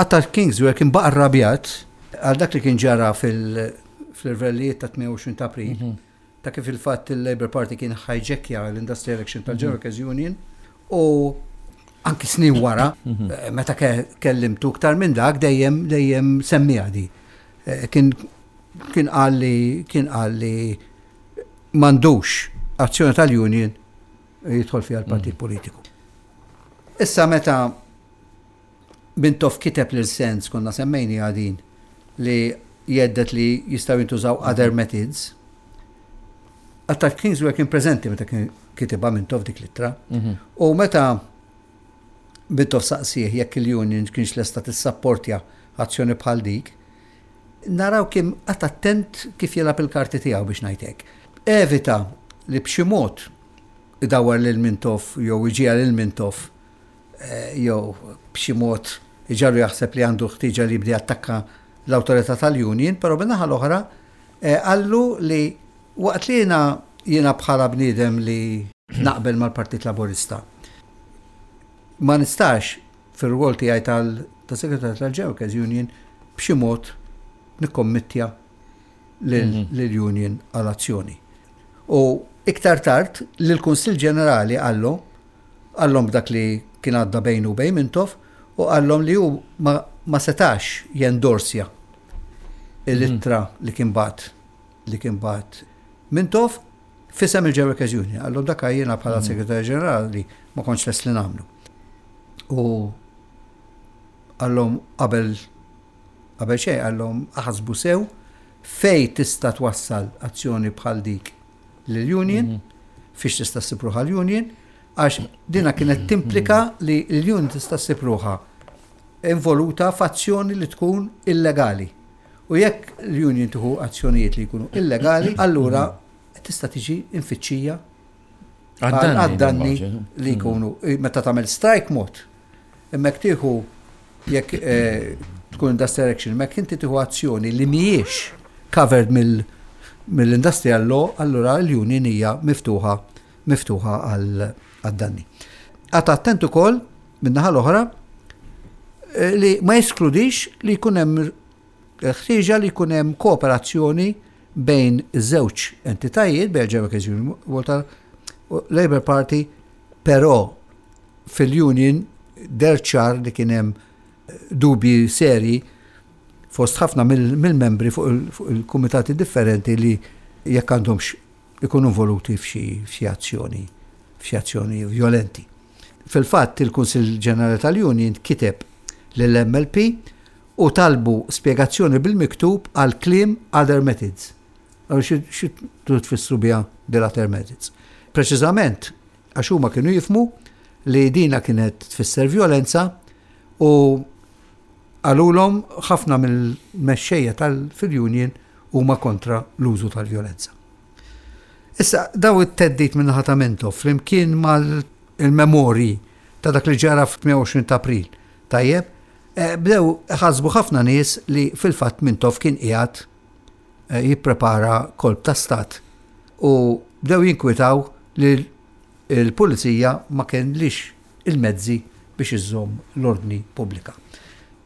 Attar Kingswell kien baqa' rrabjat għal dak li kien ġara fil-irvellijiet ta' 28 ta' April. Mhm. ta' kif il-fatt il-Labour Party kien hijackja l-Industrial Action tal-General Workers Union u anki snin wara, mhm. eh, meta kellimtu iktar minn dak dejjem dejjem semmiha di. Eh, kien kien qal li kien qal li m'għandux azzjoni tal-union jidħol fiha l-partit mhm. politiku. Issa meta Mintoff kiteb lil Sands, konna semmejniha din, li jgħeddet li jistgħu jintużaw other methods. Attard Kingsway kien preżenti meta kien kitibha Mintoff dik l-ittra. Mhm. U meta Mintoff saqsih jekk il-union kienx lesta tissapportja azzjoni bħal dik, naraw kien qatt attent kif jilgħab il-karti tiegħu biex ngħid hekk. Evita li b'xi mod idawwar lil Mintoff jew iġiegħel lil Mintoff jew b'xi mod iġagħlu jaħseb li għandu ħtieġa li jibda jattakka l-awtorità tal-union, però min-naħa l-oħra qallu li waqt li jiena jiena bħala bniedem li naqbel mal-Partit Laburista ma nistax fir-rwol tiegħi tal-Segretarju tal-General Workers Union b'xi mod nikkommittja lill-union għal azzjoni. U iktar tard lill-Kunsill Ġenerali qallu qallhom b'dak li kien għadda bejnu u bejn Mintoff u qallhom li hu ma, ma setax jendorsja l-ittra li kien bagħat li kien bagħat Mintoff f'isem il-General Workers Union. Qallhom dak jiena bħala Segretarju Ġenerali ma kontx lest li nagħmlu. U qallhom qabel qabel xejn qallhom aħsbu sew fejn tista' twassal azzjoni bħal dik lill-union, fiex tista' ssib ruħha l-union, għax dina kienet timplika li l-union tista' ssib ruħha involuta f'azzjoni li tkun illegali. U jekk l-union tieħu azzjonijiet li jkunu illegali, allura tista' tiġi infittxija għad-danni li jkunu meta tagħmel strike mod. Imma jekk tieħu jekk eh, tkun industrial action, imma jekk inti tieħu azzjoni li mhijiex covered mill-industrial law, allura l-union hija miftuħa miftuħa għad-danni. Għad attent ukoll min-naħa l-oħra eh, li ma jeskludix li jkun hemm ħtieġa li jkun hemm kooperazzjoni bejn iż-żewġ entitajiet, bejn il-General Workers Union u Labour Party, però fil-union deher ċar li kien hemm dubji serji fost ħafna mill-membri fuq il-kumitati differenti li jekk għandhomx ikunu involuti f'xi azzjoni f'xi azzjoni vjolenti. Fil-fatt il-Kunsill Ġenerali tal-Union kiteb lill-MLP u talbu spjegazzjoni bil-miktub għal kliem other methods. Xi tfissru biha dil other methods? Preċiżament għax huma kienu jifhmu li dina kienet tfisser vjolenza u qalulhom ħafna mill-mexxejja tal-fil-union huma kontra l-użu tal-vjolenza. Issa, daw it-theddid min-naħa ta' Mintoff flimkien mal-memorji ta' dak li ġara f'28 ta' April, tajjeb, eh, bdew ħasbu ħafna nies li fil-fatt Mintoff kien qiegħed eh, jipprepara kolp ta' stat u bdew jinkwitaw li l-pulizija ma kellix il-mezzi biex iżżomm l-ordni pubblika.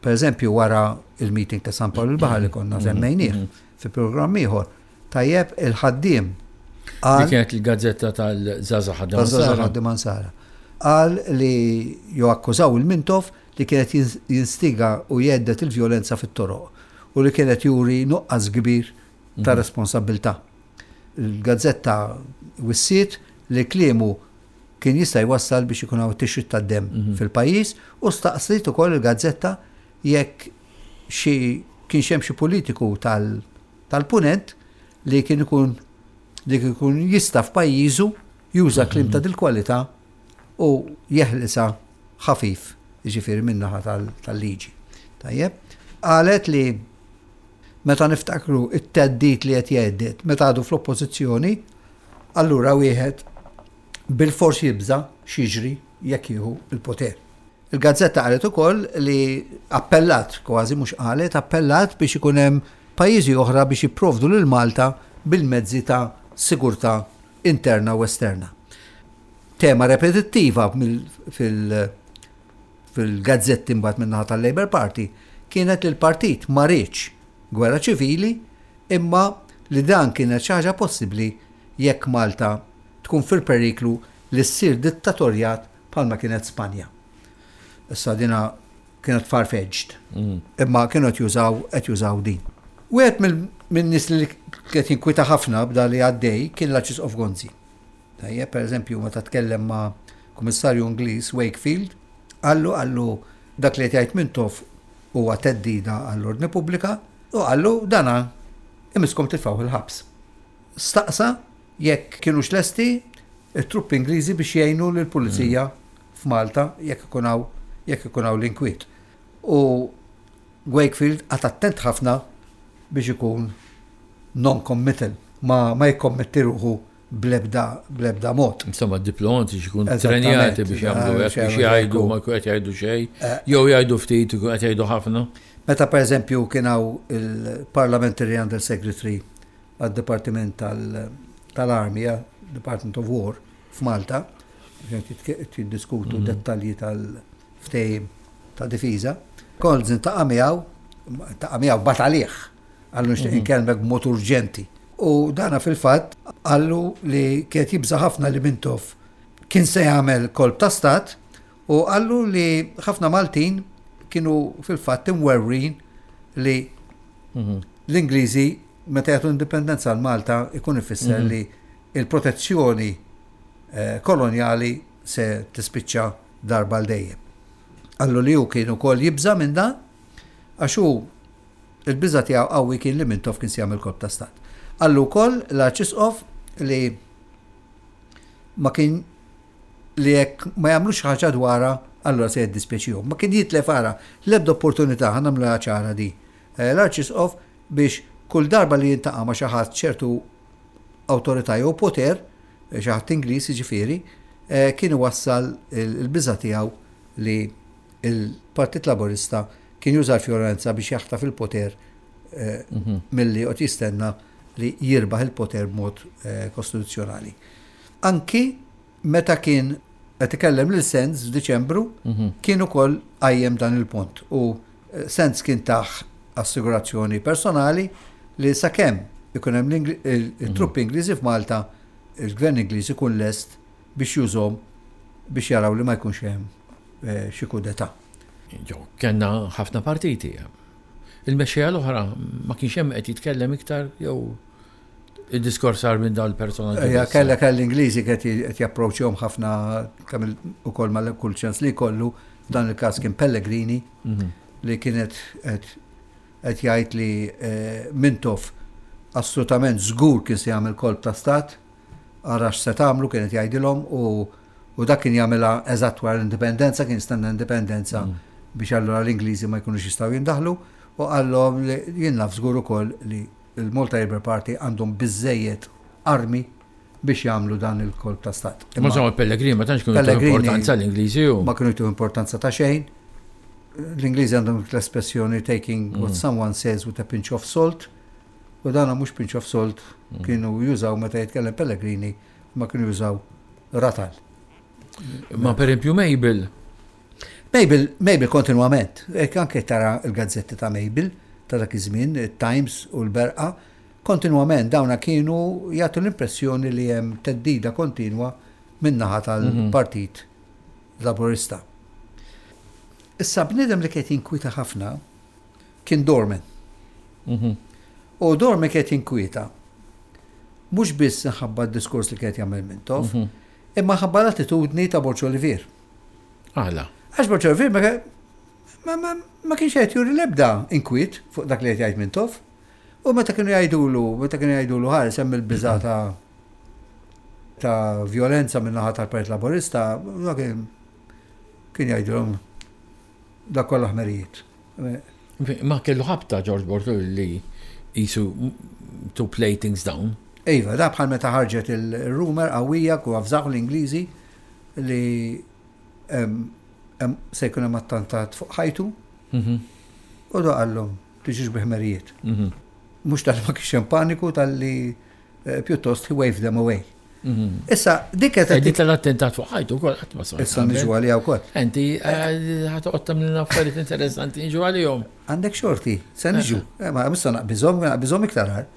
Per eżempju, wara il-meeting ta' San Pawl il-Baħar li konna semmejnieh fi programm ieħor, tajjeb il-ħaddiem qal. Li kienet il-gazzetta tal-Żgħażagħ Ħaddiema Nsara. Tal-Żgħażagħ Ħaddiema Nsara. Qal li jew akkużaw il-Mintoff li kienet jinstiga u jgħedded il-vjolenza fit-toroq u li kienet juri nuqqas kbir ta' responsabbiltà. Il-gazzetta wissiet li kliemu kien jista' jwassal biex ikun hawn tixrid tad-demm mhm. fil-pajjiż u staqsiet ukoll il-gazzetta jekk xi kienx hemm xi politiku tal-punent li kien ikun li kien ikun jista' f'pajjiżu juża kliem mhm. ta' dil-kwalità u jeħlisa ħafif, jiġifieri min-naħa tal-liġi. Tajjeb, qalet li Meta niftakru t-theddid li qed jgħedded meta għadu fl-Oppożizzjoni, allura wieħed bilfors jibża' x'jiġri jekk jieħu l-poter. Il-gazzetta qalet ukoll li appellat, kważi mhux qalet, appellat biex ikun hemm pajjiżi oħra biex jipprovdu lil Malta bil-mezzi ta' sigurtà interna u esterna. Tema repetittiva fil- fil-gazzetti mbagħad min-naħa tal-Labour Party kienet li l-partit ma riedx gwerra ċivili imma li dan kienet xi ħaġa possibbli jekk Malta tkun fil-periklu li ssir dittatorjat bħalma kienet Spanja. Issa dina kienet far-fetched. Mm. Imma kienu qed jużaw qed jużaw din. Wieħed minn nies li qed jinkwita ħafna b'da li għaddej kien l-Arċisqof Gonzi. Tajjeb, per eżempju, meta tkellem ma' Kummissarju Ingliż Wakefield, qallu qallu dak li qed jgħid Mintoff huwa theddida għall-ordni pubblika u qallu dana imisskom titfgħuh il-ħabs. Staqsa jekk kinux lesti t-truppi Ingliżi biex jgħinu lill-pulizija f'Malta jekk ikun hawn jekk ikun hawn l-inkwiet. U Wakefield qagħad attent ħafna biex ikun non-committal, ma, ma jikkommetti ruħu. bl-ebda bl-ebda mod. Insomma, diplomatiċi jkunu trenjati biex jagħmlu hekk, biex jgħidu ma jkun qed jgħidu xejn, jew jgħidu ftit ikun qed jgħidu ħafna. Meta pereżempju kien hawn il-Parliamentary Under Secretary għad-Dipartiment tal-Army, Department of War, f'Malta, qed jiddiskutu dettalji tal-ftehim ta' difiża. Colz intaqa' miegħu, intaqa' miegħu bagħat għalih, qallu nixtieq inkellmek b'mod urġenti. U dana fil-fatt qallu li kien qed jibża' ħafna li Mintoff kien se jagħmel kolp ta' stat u qallu li ħafna Maltin kienu fil-fatt imwerwrin li l-Ingliżi meta jagħtu indipendenza għal Malta ikun ifisser li l-protezzjoni kolonjali se tispiċċa darba għal dejjem. Qallu li hu kien ukoll jibża' minn dan għax hu il-biża' tiegħu qawwi kien li Mintoff kien se jagħmel kolp ta' stat. Qallu wkoll l-Arċisqof li ma kien li jekk ma jagħmlux xi ħaġa dwarha allura se jiddispjaċihom. Ma kien jitlef ara l-ebda opportunità, ħa nagħmluha ċara di. Eh, l-Arċisqof biex kull darba li jiltaqa' ma' xi ħadd ċertu awtorità jew poter, xi ħadd Ingliż jiġifieri, kien iwassal il-biża' tiegħu li l-Partit Laburista kien juża l-vjolenza biex jaħtaf il-poter milli joqgħod jistenna li jirbaħ il-poter b'mod kostituzzjonali. Anki meta kien qed ikellem lil Sands f'Diċembru, kien ukoll qajjem dan il-punt u Sands kien tah assigurazzjoni personali li sakemm ikun hemm it-truppi Ingliżi f'Malta, il-Gvern Ingliż ikun lest biex jużhom biex jaraw li ma jkunx hemm xi coup d'état. Jo, kellna ħafna partiti. Il-mexxejja l-oħra ma kienx hemm qed jitkellem iktar jew id-diskors sar minn dawn il-personaġġi. Ejja, kellha kell l-Ingliżi qed japproċċjahom ħafna kemm ukoll mal kull ċans li jkollu, f'dan il-każ kien Pellegrini li kienet qed jgħid li Mintoff assolutament żgur kien se jagħmel kolp ta' stat, ara x'se tagħmlu kien qed jgħidilhom u dak kien jagħmilha eżatt wara l-indipendenza, kien jistenna l-indipendenza biex allura l-Ingliżi ma jkunux jistgħu jindaħlu u qallhom li jien naf żgur ukoll li il-Malta Labour Party għandhom biżżejjed armi biex jagħmlu dan il-kolp ta' stat. Imma insomma Pellegrini ma tantx kienu jtuh importanza l-Ingliżi u. Ma kienu jtuh importanza ta' xejn. L-Ingliżi għandhom l-espressjoni taking what someone says with a pinch of salt. U dana mhux pinch of salt kienu jużaw meta jitkellem Pellegrini ma kienu jużaw ratal. Ma per esempio Mabel. Mabel, Mabel kontinwament, hekk anke tara l-gazzetti ta' Mabel ta' dak iż-żmien, it-Times u l-Berqa, kontinwament dawna kienu jagħtu l-impressjoni li hemm theddida kontinwa min-naħa tal-Partit Laburista. Issa bniedem li kien jinkwieta ħafna kien Dorman. U Dorman kien jinkwieta mhux biss minħabba d-diskors li kien jagħmel Mintoff, imma ħabba l-attitudni ta' Borg Olivier. Għala? Għax Borg Olivier ma, ma, ma kienx qed juri l-ebda inkwiet fuq dak li qed jgħid Mintoff. U meta kienu jgħidulu, meta kienu jgħidulu ħares hemm il-biża ta' ta' violenza minn naħa tal-Partit Laburista, kien kien jgħidilhom dak kollha ħmerijiet. Ma kellu ħabta George Borg li jisu to play things down. Iva, da bħal meta ħarġet il-rumor qawwija ku avżaw l-Ingliżi li se jkun hemm attentat fuq ħajtu. U da qallhom tiġux bi ħmerijiet. Mhux tal ma kienx hemm paniku talli pjuttost he waved them away. Issa, dik qed Dik tal-attentat fuq ħajtu wkoll qatt ma smajt. Issa niġu għaliha wkoll. Inti ħa toqgħod tagħmlilna affarijiet interessanti niġu għalihom. Għandek xorti, se niġu. Ma issa naqbiżhom, naqbiżhom iktar għar.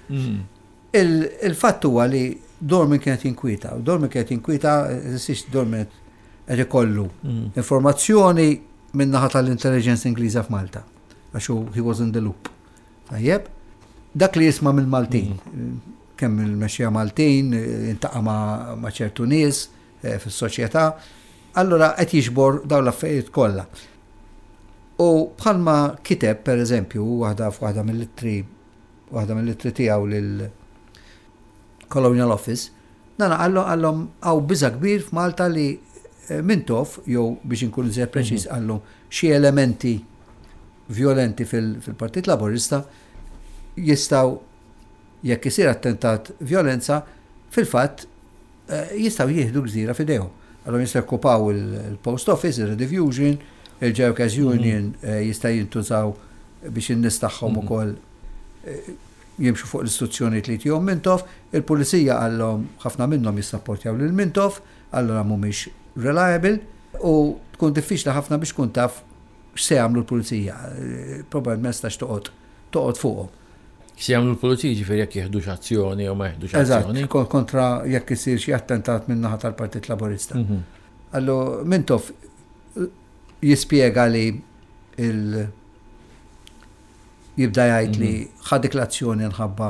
Il-fatt huwa li Dorman kienet jinkwieta, u Dorman kienet jinkwieta, six Dorman qed ikollu informazzjoni min-naħa tal-intelligence Ingliża f'Malta, għax hu he was in the loop. Tajjeb, dak li jisma' mill-Maltin, kemm il-mexxejja Maltin, intaqa' ma' ċertu nies fis-soċjetà, allura qed jiġbor dawn l-affarijiet kollha. U bħalma kiteb, per eżempju, waħda f'waħda mill-ittri waħda mill-ittri tiegħu lil Colonial Office, dana qallu qallhom hawn biża' kbir f'Malta li Mintoff, jew biex inkun iżjed preċiż qallu xi elementi vjolenti fil-Partit Laburista jistgħu jekk isir attentat vjolenza fil-fatt jistgħu jieħdu gżira f'idejhom. Allura jistgħu jokkupaw il-Post Office, il-Rediffusion, il-Workers Union jista' jintużaw biex in-nies tagħhom ukoll jimxu fuq l-istruzzjonijiet li jtihom Mintoff. Il-pulizija qallhom ħafna minnhom jissapportjaw lil Mintoff, allura mhumiex reliable u tkun diffiċli ħafna biex tkun taf x'se jagħmlu l-pulizija. Probabbilment ma tistax toqgħod toqgħod fuqhom. X'se jagħmlu l-pulizija ġifieri jekk jieħdux azzjoni jew ma jieħdux azzjoni. Eżatt, kontra jekk isir xi attentat min-naħa tal-Partit Laburista. Allu Mintoff jispjega li il jibda jgħid li ħa dik l-azzjoni nħabba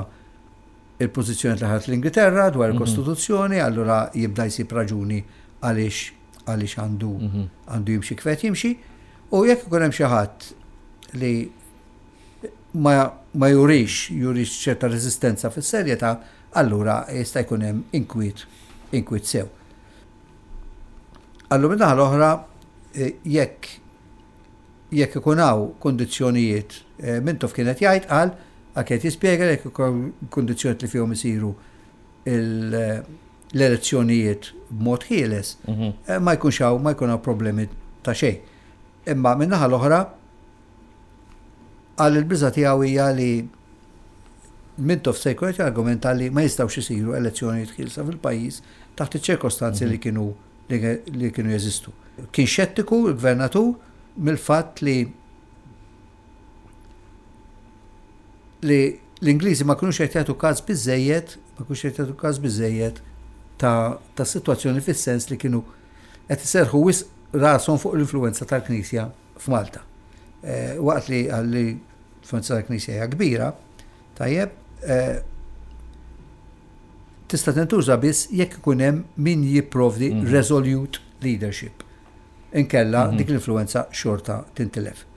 il-pożizzjoni li ħadet l-Ingilterra dwar il-Kostituzzjoni, allura jibda jsib raġuni għaliex għaliex għandu għandu jimxi kif qed jimxi. U jekk ikun hemm xi ħadd li ma, ma jurix jurix ċerta reżistenza fis-serjetà, allura jista' jkun hemm inkwiet inkwiet sew. Allura min-naħa l-oħra jekk jekk ikun hawn kundizzjonijiet, Mintoff kien qed jgħid qal, għal kien qed jispjega li jekk ikun hawn kundizzjonijiet li fihom isiru l-elezzjonijiet b'mod ħieles, ma jkunx hawn ma jkun hawn problemi ta' xejn. Imma min-naħa l-oħra qal il-biża' tiegħu hija li Mintoff se jkun qed jargumenta li ma jistgħux isiru elezzjonijiet ħielsa fil-pajjiż taħt iċ-ċirkostanzi li kienu li kienu jeżistu. Kien xettiku l-gvernatur mill-fatt li li l-Ingliżi ma kinux qed jagħtu każ biżejjed, ma kinux qed jagħtu każ biżejjed ta' ta' sitwazzjoni fis-sens li kienu qed iserrħu wisq rashom fuq l-influwenza tal-Knisja f'Malta. Eh, waqt li għalli l-influwenza tal-Knisja hija kbira, tajjeb, eh, tista' tintuża biss jekk ikun hemm min jipprovdi resolute leadership. Inkella dik l-influwenza xorta tintilef.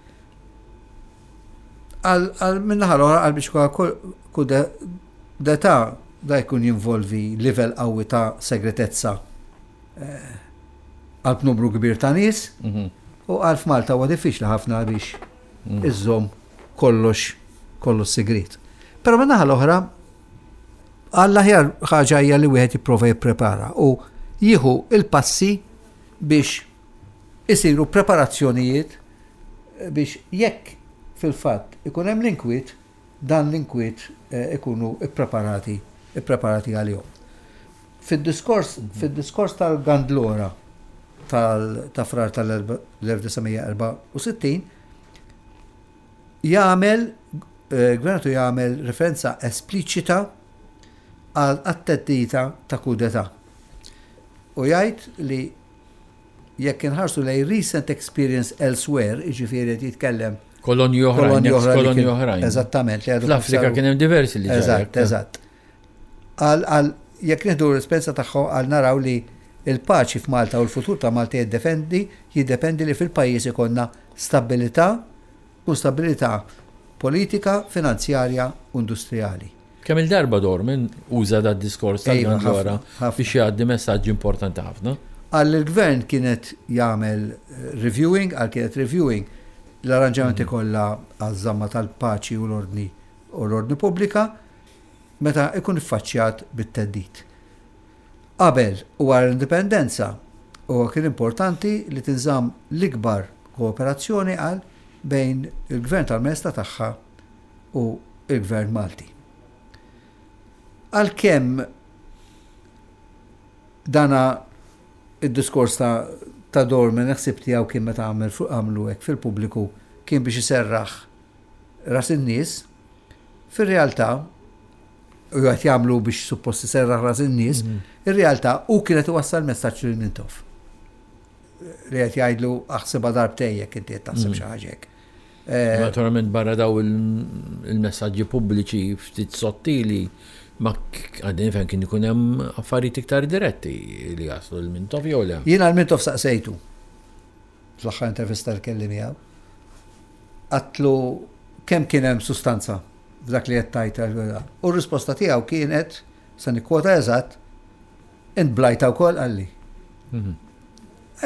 Għal min-naħa l-oħra għal biex coup d'état da jkun jinvolvi livell qawwi ta' segretezza qalb numru kbir ta' nies u għal f'Malta huwa diffiċli ħafna biex iżżomm kollox kollox sigriet. Però min-naħa l-oħra għall-aħjar ħaġa hija li wieħed jipprova jipprepara u jieħu il-passi biex isiru preparazzjonijiet biex jekk fil-fatt ikun hemm l-inkwiet, dan l-inkwiet ikunu ppreparati ippreparati għalihom. Fid-diskors fid-diskors tal-Gandlora tal ta' Frar tal-1964 jagħmel Gvernatur jagħmel referenza espliċita għal għat-theddida ta' coup d'état. U jgħid li jekk inħarsu lejn recent experience elsewhere, jiġifieri qed jitkellem Kolonji oħrajn, kolonji oħrajn. Eżattament. Fl-Afrika kien hemm diversi li Eżatt, eżatt. Għal jekk nieħdu l-esperjenza tagħhom għal naraw li il-paċi f'Malta u l-futur ta' Malta jiddependi jiddependi li fil-pajjiż ikollna stabilità u stabilità politika, finanzjarja u industrijali. Kemm-il darba Dorman uża dad-diskors tal-Gandlora biex jgħaddi messaġġ importanti ħafna. Qal li l-Gvern kien qed jagħmel reviewing, qal kien qed reviewing l-arranġamenti kollha għaż-żamma tal-paċi u l-ordni u l-ordni pubblika meta jkun iffaċċjat bit-theddid. Qabel u wara l-Indipendenza, huwa kien importanti li tinżamm l-ikbar kooperazzjoni, qal, bejn il-Gvern tal-Maestà Tagħha u l-Gvern Malti. Għalkemm dana id-diskors ta' ta' Dorman il-ħsieb tiegħu kien meta għamel għamlu hekk fil-pubbliku kien biex iserraħ ras in-nies, fir-realtà u qed jagħmlu biex suppost iserraħ ras in-nies, ir-realtà hu kien qed iwassal messaġġ lil Mintoff. Li qed jgħidlu aħsibha darbtejn jekk inti qed taħseb xi ħaġa hekk. Naturalment barra daw il-messaġġi pubbliċi ftit sottili ma għadni nifhem kien ikun hemm affarijiet iktar diretti li jaslu lil Mintoff jew le. Jiena lil Mintoff saqsejtu fl-aħħar intervista li kelli miegħu. Għadtlu kemm kien hemm sustanza f'dak li qed tgħid. U r-risposta tiegħu kienet, se nikkwota eżatt, int blajta wkoll qalli.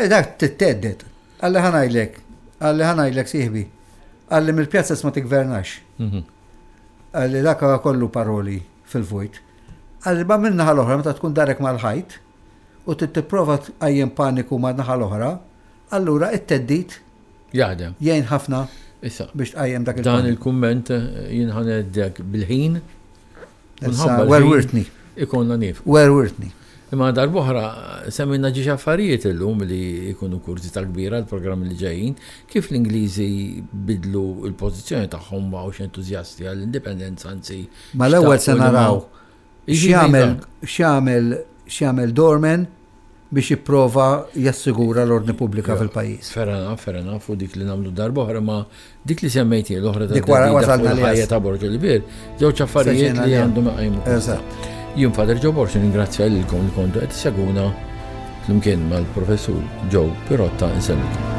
Dak tittedded. Qalli ħa ngħidlek, qalli ħa ngħidlek sieħbi, qalli mill-pjazzas ma tiggvernax. Qalli dak huwa kollu paroli fil-vojt. Qalli ma min-naħa l-oħra meta tkun darek mal-ħajt. u trid tipprova tqajjem paniku man-naħa l-oħra, allura it-theddid Jaħdem. Jgħin ħafna Issa, biex tqajjem dak Dan il-paniku. il-kumment eh, jien ħaneddek bil-ħin. Issa, werwirtni. Ikonna nif. Werwirtni. Imma darb'oħra semmejna ġiex affarijiet illum li jkunu kurżità kbira l-programmi li ġejjin, kif l-Ingliżi bidlu l-pożizzjoni tagħhom ma baqgħux entużjasti għall-indipendenza anzi Mal-ewwel se xtaqu li ma naraw x'jagħmel x'jagħmel x'jagħmel Dorman biex jipprova jassigura l-ordni pubblika fil-pajjiż. Fair enough, fair enough, u dik li nagħmlu darb'oħra ma dik li semmejt jien l-oħra ta' Dik wara wasalna li ħajja ta' Borg Olivier, żewġ affarijiet li għandhom iqajmu. Eżatt. Jien Father Joe Borg ningrazzja lilkom li kontu qed issegwuna flimkien mal-Professur Joe Pirotta insellmilkom.